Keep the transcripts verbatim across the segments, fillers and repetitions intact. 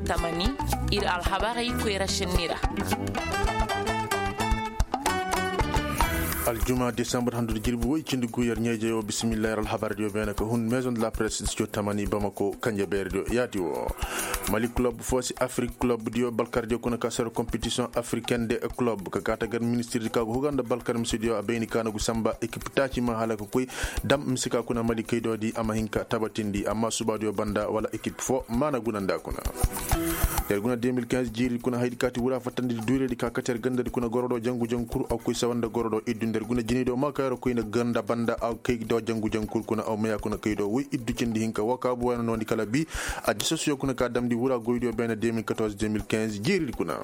Tamani, ir alhabarey koyra šenni ra. Aljuma desambur handu da jirbi woy cindi gu yer ɲeejey wo bisimillahi yer alhabar diyo beene ka hun maison de la presse diyo tamani bamako kanje beere diyo yaati wo. Mali kulob fo si afrik kulob diyo balkar diyo kuna ka soro kompetisiyoŋ afriken de kulob ka kaata gar ministir di ka go huga nda balkar mise diyo a bayni ka na gu samba ekip taaci ma hala ka koy dam mise ka kuna mali kaydo di a ma hin ka tabatindi amma suba diyo banda wala ekip fo ma na guna nda kuna. Yer guna deux mille quinze jiiri kuna haydi kaati wura fattandi duuredi ka kati yer gandadi kuna gorodo jangu jankur aw koy sawanda gorodo iddu nder guna jinido ma ka yer koyna ganda banda aw kay do jangu jankur kuna aw maya kuna kay do woy iddu cindi hinka wa ka buwayna nondi kala bi. A disosiyo kuna ka damdi wura goydiyo bene deux mille quatorze deux mille quinze jiiridi kuna.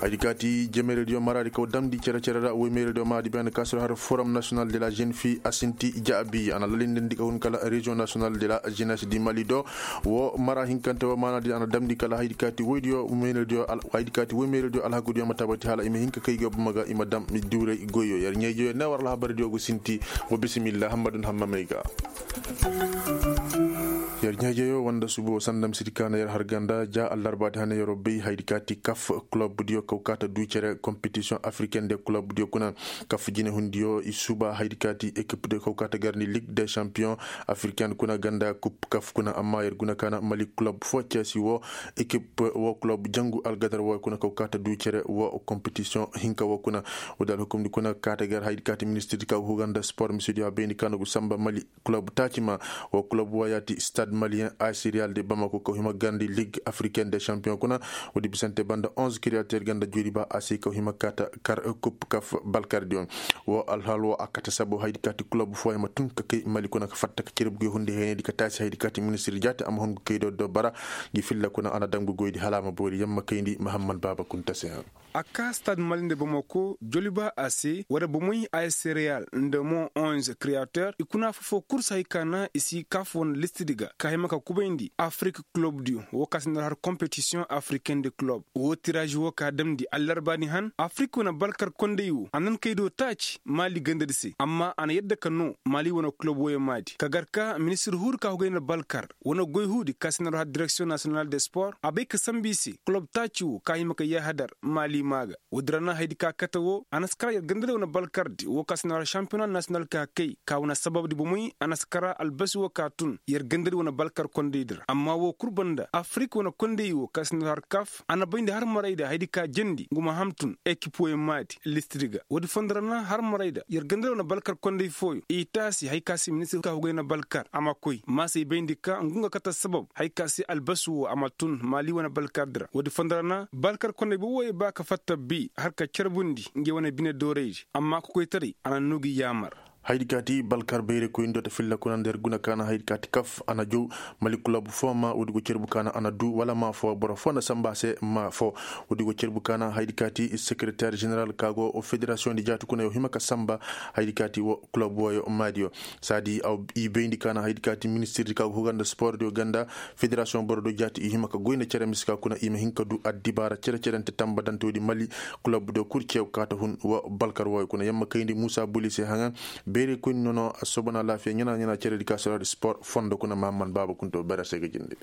Haydi kaati jemerediyo maradi kaw damdi cere cere ra woy merediyo maadi bene kasoro har forum national de la jeune fille a sinti jaabi ana lalindindi ka hun kala région national de la jeunesse du mali do. Wo mara hinkante wo maanadi ana damndi kala haydi kaati woydiyo meerediyo alhakudiyo ma tabati hala i ma hin ka kay go buma ga i ma dam duuray goyyo yer ɲayjoyo ne war alhabardiyo go sinti. Wo bisimilla hammadun hammamey ga. Yer ɲayjoyo wanda subo sanda misidi ka na yer har ganda ja allarbaadi hane yero bay haydi kaati kaf kulobdiyo kaw kaata du cere kompetisiyoŋ afriken de kulobdiyo kuna. Kaf jinehundiyo i suba haydi kaati ekipdiyo kaw kaata garni lig de campiyoŋ afriken kuna ganda kup kaf kuna amma yer guna kaana mali kulob fo ceesi wo ekip wo kulob jangu algadar wo kuna kaw kaata du cere wo kompetisiyoŋ hinka wo kuna. Wo da alhukumdi kuna kaata gar haydi kaati ministirdi ka go huga nda spor misidiyo a bayndi kaana gu samba mali kulob taaci ma. Wo kulob wo yaati stad maliyen asiriyal de bamako kaw hima garndi lig afriken de campiyoŋ kuna. Wo di bisante banda onze kiriyater ganda juuri ba a se kaw hima kaata kar kup kaf balkardiyoŋ. Wo alhal wo a kate sabo haydi kaati kulob fooyaŋ ma tun ka kay mali kuna ka fatta ka cere buguyo hunde heenedi ka taasi haydi kaati ministir jaati a ma hun ga kay do do bara. Ngi filla kuna a na daŋ bugoydi hala a ma boori yamma kayndi mahamman baaba kunta se haŋ. A kaa stad mali nda bamako joliba a se wala bomoy a s real nda mo onze createur i kuna fofo kurs hay ka na i si kaaf wane listidi ga ka hima ka kubayndi afrik kulobdiyo wo ka si nda har kompetisiyoŋ afriken de kulob. Wo tiraazi wo ka damndi allarbaani han afrik wane balkar konday wo a nan kay do taaci maali gandadi se amma a na yadda ka noo maali wane kulob woyo maadi ka gar ka ministir huudi ka hugay nda balkar wane goy huudi ka si nda har direksiyoŋ nasiyonal de spor a bay ka sambu i se kulob taaci wo ka hima ka yaahadar maali maa ga. Woodi ra na haydi ka kate wo a na si kara yer gandadi wane balkardi wo ka si nda har šampiyona nasiyonal ka kay ka wane sababdi bomoy a na si kara albasi wo ka tun yer gandadi wane balkar kondaydi ra amma wo kul banda afrik wane konday wo ka si nda har kaf a na bayndi har marayda haydi ka jendi ngu ma hamtun ekip woy maadi listidi ga woodi fondo ra na har marayda yer gandadi wane balkar konday fooyo i taasi hay ka si ministir ka hugay na balkar a ma koy maasey bayndi ka ngu nga kate sabab hay ka si albasu wo a ma tun maali wane balkardi ra woodi fondo ra na balkar konday boboyo ba ka fatta bi har ka carbundi ngey wane bine dooraydi amma kokoytaray a na noo gi yaamar. Haydi kaati balkar bayrakoyndi do ta filla kuna nda yer guna ka na haydi kaati kaf a na jow mali kulob foo ma woodi go carbu ka na a na duu wala maa foo boro foo nda samba se maa foo. Woodi go carbu ka na haydi kaati sekereter ženeral ka go federasiyoŋdi jaati kuna yo hima ka samba haydi kaati wo kulob wooyo maadiyo. Saadi i bayndi ka na haydi kaati ministirdi ka go huga nda spordiyo ganda federasiyoŋ borodiyo jaati i hima ka goy nda cere mise ka kuna i ma hin ka duu addibaara cere-cerente tambadante woodi mali kulobdiyo kul ceew kaata hun wa balkar wooyo kuna yamma kayndi muusa buli se haŋa. Beerey koyni nono a soobana laafiya ɲana-ɲana ceredi ka soraadi spor fondo kuna mahamman baaba kunto beera se ga jindi.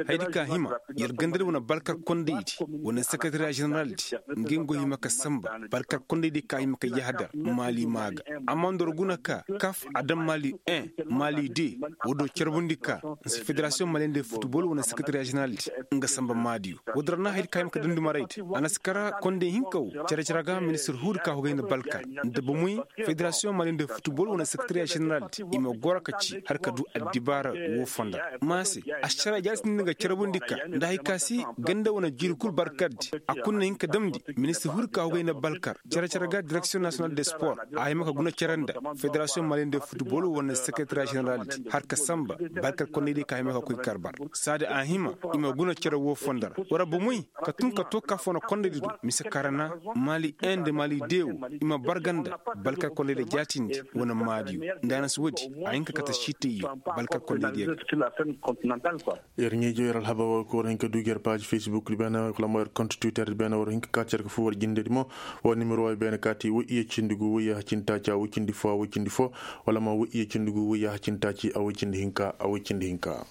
Haydi ka hima yer gandadi wane balkar kondaydi wane sekretariya ženeraldi ngey ngo hima ka samba balkar kondaydi ka hima ka yahadar maali maa ga. Amma nda war guna ka kaf a daŋ maali un maali de. Woo do carbundi ka nsi federasiyoŋ maliyende futbol wane sekretariya ženeraldi nga samba maadiyo. Woodi ra na haydi ka hima ka dandi maraydi a na si kara konday hinka wo care-care ga ministir huudi ka hugay nda balkar nda bomoy federasiyoŋ maliyende futbol wane sekretariya ženeraldi i ma goro ka ci har ka duu addibaara woo fonda. Maa se ašara jaati nda nga carbundi ka nda hay ka si ganda wane jiiri kul barkardi a kul na hin ka damndi ministir huudi ka hugay nda balkar care-care ga direksiyoŋ nasiyonal de spor a hima ka guna care nda federasiyoŋ maliyende futbol wane sekretariya ženeraldi har ka samba balkar kondaydiyo ka hima ka koy karbar. Saadi a hima i ma guna care woo fonda ra war bomoy ka tun ka too kaaf wane kondaydi do mise karana maali un nda maali de wo i ma barga nda balkar kondaydiyo jaatindi wane maadiyo nda a na si woodi a hin ka kate siitayyo balkar kondaydiyo ga. Yer ɲeejo yer alhabar war ko war hin ka duugi yer paazi facebook di beene wala mo yer kont twitter di beene war hin ka kaati yer ka fuu war jindedi mo. War nimero way beene kaati woy iye cindi gu woy yaaha cindi taaci a woy cindi foo a woy cindi foo wala mo woy iye cindi gu woy yaaha cindi taaci a woy cindi hinka a woy cindi hinka.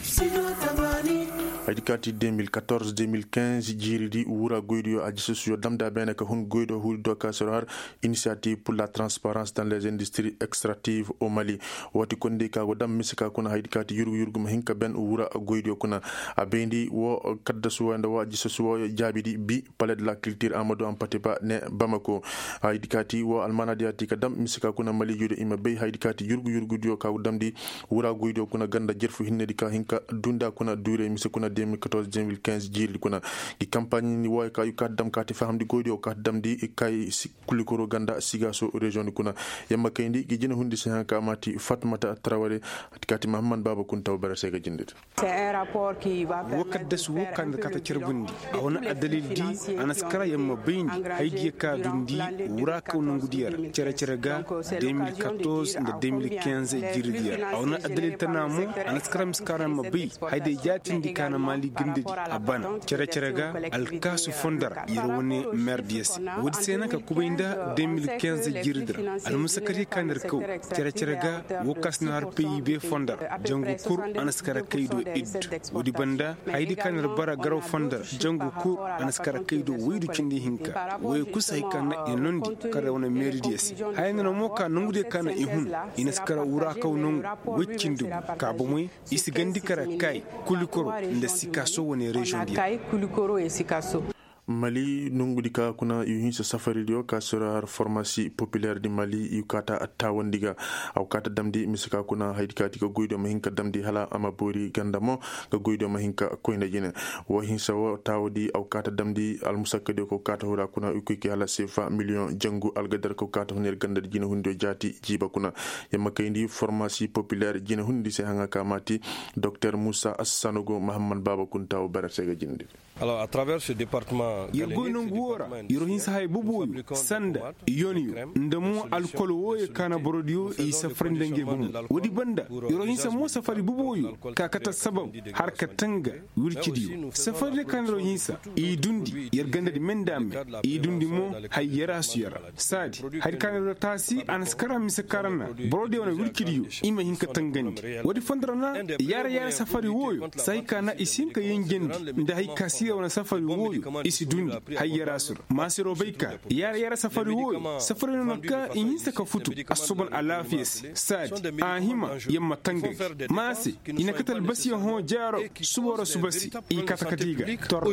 Studio tamaani. Ay di kaati deux mille quatorze deux mille quinze jiiridi wura goydiyo a jisasuyo damda beene ka hun goydo huudido ka siro har initiative pour la transparence dans les industries extractives au mali. Woo ti kondi ka go dam mise ka kuna hay di kaati yurgu yurgu ma hin ka ben wura goydiyo kuna. A bayndi woo kaddasu woo nda woo a jisasuyo jaabidi bi palais de la culture amadu ampatiba ne bamako. Hay di kaati woo almaanadiyo a ti ka dam mise ka kuna mali juudo i ma bay hay di kaati yurgu yurgudiyo ka go damndi wura goydiyo kuna ganda jerfu hinnedi ka hin ka dunda kuna duure mise kuna deux mille quatorze deux mille quinze jiiridi kuna. Gi kampaaɲi ni wooyo ka yu kaati dam kaati fahamndi goydiyo kaati damndi kay kulli koro ganda sigaaso reziyoŋ di kuna. Yamma kayndi gi jina hundi se haŋ ka maati fatmata taraware. Ati kaati mahamman baaba kunta wo bara se ga jindidi. Wo kaddasu wo ka nda kaata carbundi a wane addalil di a na si kara yamma bayndi haydiya ka dundi wura kaw nongudiya ra cere-cere ga deux mille quatorze nda deux mille quinze jiiridiya ra a wane addalil tana mo a na si kara ma si kara yamma bay. Hayday jaatindi ka na maali gandadi a bana cere-cere ga alkaasu fondo ra yer wane merdiya se. Woodi se na ka kubay nda deux mille quinze jiiridi ra almusakadi ka na yer kaw cere-cere ga wo ka si na har peyi be fondo ra jangu kul a na si kara kay do iddu. Woodi banda haydi ka na yer bara garaw fondo ra jangu kul a na si kara kay do waydu cindi hinka woy kusa hay ka na i nondi kara wane meeridiya se. Haya nana mo ka nongudiya ka na i hun i na si kara wura kaw nongu woy cindi gu ka bomey i si gandi kara kay kulikoro nda sikaso wane reziyoŋ diya. Mali nongudi ka kuna i hinsa safaridiyo ka sira har formasi populer di mali i kaata taawandi ga. A go kaata damndi mise ka kuna haydi kaati ga goydiyo ma hin ka damndi hala a ma boori ganda mo ga goydiyo ma hin ka koyna jine. Wo hinsa wo taawandi a go kaata damndi almusakkadiyo ka go kaata hura kuna i koy kay hala sefa miliyoŋ jangu algadar ka go kaata huna yer gandadi jinehundiyo jaati jiiba kuna. Yamma kayndi formasi populer jinehundi se haŋa ka maati doktor musa assanogo mahamman baaba kunta wo barate ga jindi. Yer goy nongu woo ra yer hinsa haya boboyo sanda yoniyo nda mo alkol wooyo ka na borodiyo i safari nda ngey bomo. Woodi banda yer hinsa mo safari boboyo ka kate sabab har ka tanga wircidiyo safari di ka na yer hinsa i dundi yer gandadi me nda me i dundi mo hay yarasu yara saadi hari ka na yer taasi a na si kara mise karanna borodiyo wane wircidiyo i ma hin ka tangandi. Woodi fondo ra na yaara yaara safari wooyo sahi ka na i si hin ka yenjendi nda hay ka siira wane safari wooyo i si dundi. Hay yarasu ra maasiroo bay ka yaara yaara safari wooyo safari no na ka i hinsa ka futu assoban alaafiya se saadi a hima yer ma tangandi maase i na kate albasiyaŋ hõ jaaro suba ra suba se i kate kate i ga torra.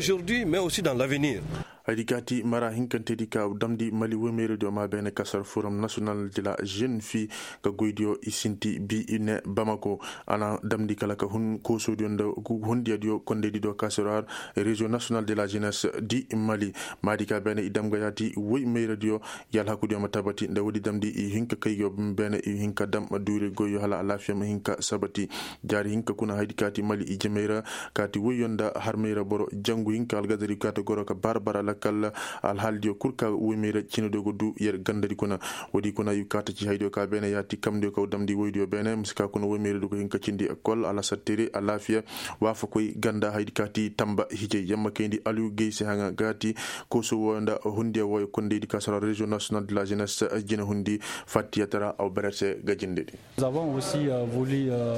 Hay di kaati mara hinkantedi ka damndi mali woymeyradiyo ma beene kasar forum national de la jeune fille ga goydiyo i sinti bi i ne bamako. A na damndi kala ka hun koosodiyo nda hundiyadiyo kondeydidiyo kasar har reziyoŋ national de la jeunesse di mali. Maadi ka beene i dam ga yaati woymeyradiyo i alhakudiyo ma tabati nda woodi damndi i hin ka kay go beene i hin ka dam duure goyyo hala alaafiya ma hin ka sabati. Jaari hinka kuna haydi kaati mali i jamey ra kaati woyyo nda harmey ra boro jangu hinka algadari kaati goro ka bara bara lakkal alhaalidiyo kul ka woymey ra cinediyo ga du yer gandadi kuna. Woodi kuna i kaata ci haydiyo ka beene yaati kamdiyo ka damndi woydiyo beene mise ka kuna woymey ra du ka hin ka cindi ekol alasattere alaafiya waafakoy ganda haydi kaati tamba hijay yamma kayndi aliyu gay se haŋa gaati kooso wooyo nda hundiya wooyo kondeydi ka sara reziyoŋ national de la jeunesse jina hundi fattiyatara aw berete ga jindedi.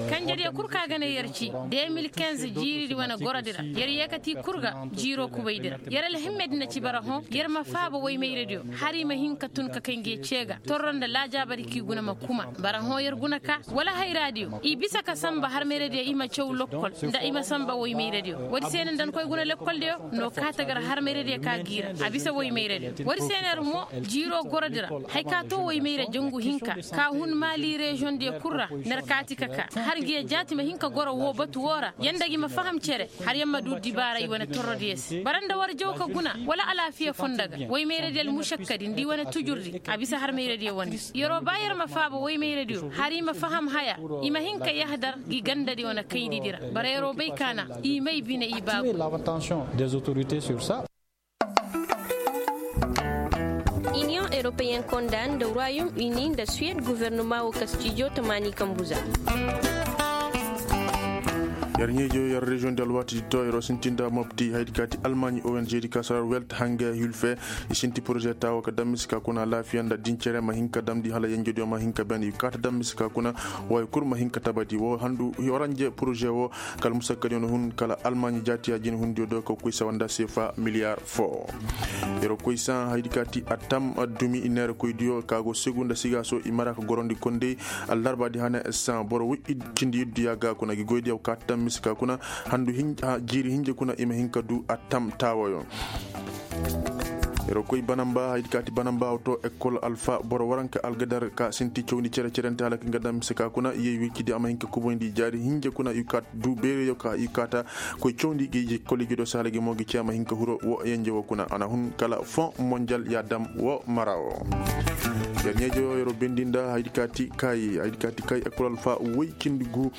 Kanjediyo kul ka ga ne yer ci deux mille quinze jiiridi wane gorodi ra yer yeekati kul ga jiiroo kubaydi ra yer alhimmedi na ci bara hõ yer ma faaba woymayradiyo har i ma hin ka tun ka kay nge cee ga torro nda laajaabadi k'i guna ma kuma bara hõ yer guna ka wala hayraadiyo i bisa ka samba harmayradiyo i ma caw lokkol nda i ma samba woymayradiyo woodi se ne nda ni koy guna lokkoldiyo no kaata gar harmayradiyo ka g'i ra a bisa woymayradiyo woodi se ne yer mo jiiroo gorodi ra. Hay ka to woymayra jangu hinka ka hun maali reziyoŋdiyo kul ra ner kaati ka ka har ngiya jaati ma hin ka goro woo batu woo ra yanda gi ma faham cere har yaŋ ma du dibaara i wane torrodiyo se bara nda war jaw ka guna wala alaafiya fondo ga woymayradiyo almušakkadi nda i wane tujurdi a bisa harmayradiyo wane. Yeroo ba yer ma faaba woymayradiyo har i ma faham haya i ma hin ka yahadar gi gandadi wane kaydidi ra bara yeroo bay ka na i may bine i baabu. Iniyoŋ eropeyen konda nda royom ini nda suwed guvernoma wo kastijo tamaani kambu za. Yer ɲeejo yer reziyoŋ di alwaati di to yer wo sinti nda mopti haydi kaati almaaɲi ong di ka sarar welt hanga hilfe. I sinti poroze taawo ka dam mise ka kuna alaafiya nda dincere ma hin ka damndi hala yenjediyo ma hin ka ben i kaata dam mise ka kuna. Wooyo kul ma hin ka tabati woo handu waranje poroze woo. Kala musakkadiyo na hun kala almaaɲi jaatiya jinhundiyo do ka koy sawa nda seefa miliyar foo. Yer wo koy saŋ haydi kaati attam dumi i neerakoydiyo ka go segu nda sigaaso i mara ka gorondi kondey. Allarbaadi hane saŋ boro woy cindi iddu yaaga kuna gi goydiyo ka tam mise ka kuna handu jiiri hinja kuna i ma hin ka du attam taawoyo. Yer wo koy banamba haydi kaati banamba wo to ekol alfa boro waranka algadar ka sinti cawndi cere-cerente hala ka nga dam mise ka kuna yey wircidi a ma hin ka kuboyndi jaari hinja kuna i kaata du beereyo ka i kaata koy cawndi gi koliji do se hala gi mo gi cee a ma hin ka huro wo yenje wo kuna a na hun kala fon monjal ya dam wo mara wo. Yer ɲeejo yer wo bendi nda haydi kaati kay ekol alfa woy cindi gu.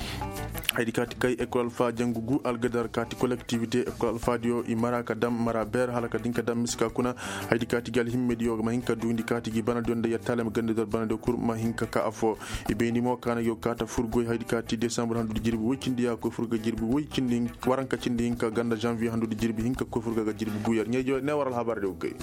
Haydi kaati kay ekol alfa jangu gu algadar kaati kolektivite ekol alfadiyo i mara ka dam mara ber hala ka din ka dam mise ka kuna. Haydi kaati gi alhimmediyo ma hin ka duundi kaati gi banadiyo nda yer taalem gandedor banadiyo kul ma hin ka ka afo. I bayndi mo kaana gi go kaata fur goy haydi kaati desambur handudi jirbi woy cindi ya koy fur ga jirbi woy cindi waranka cindi hinka ganda janviye handudi jirbi hinka koy fur ga ga jirbi gu yer ɲeejo ne war alhabar de go kay.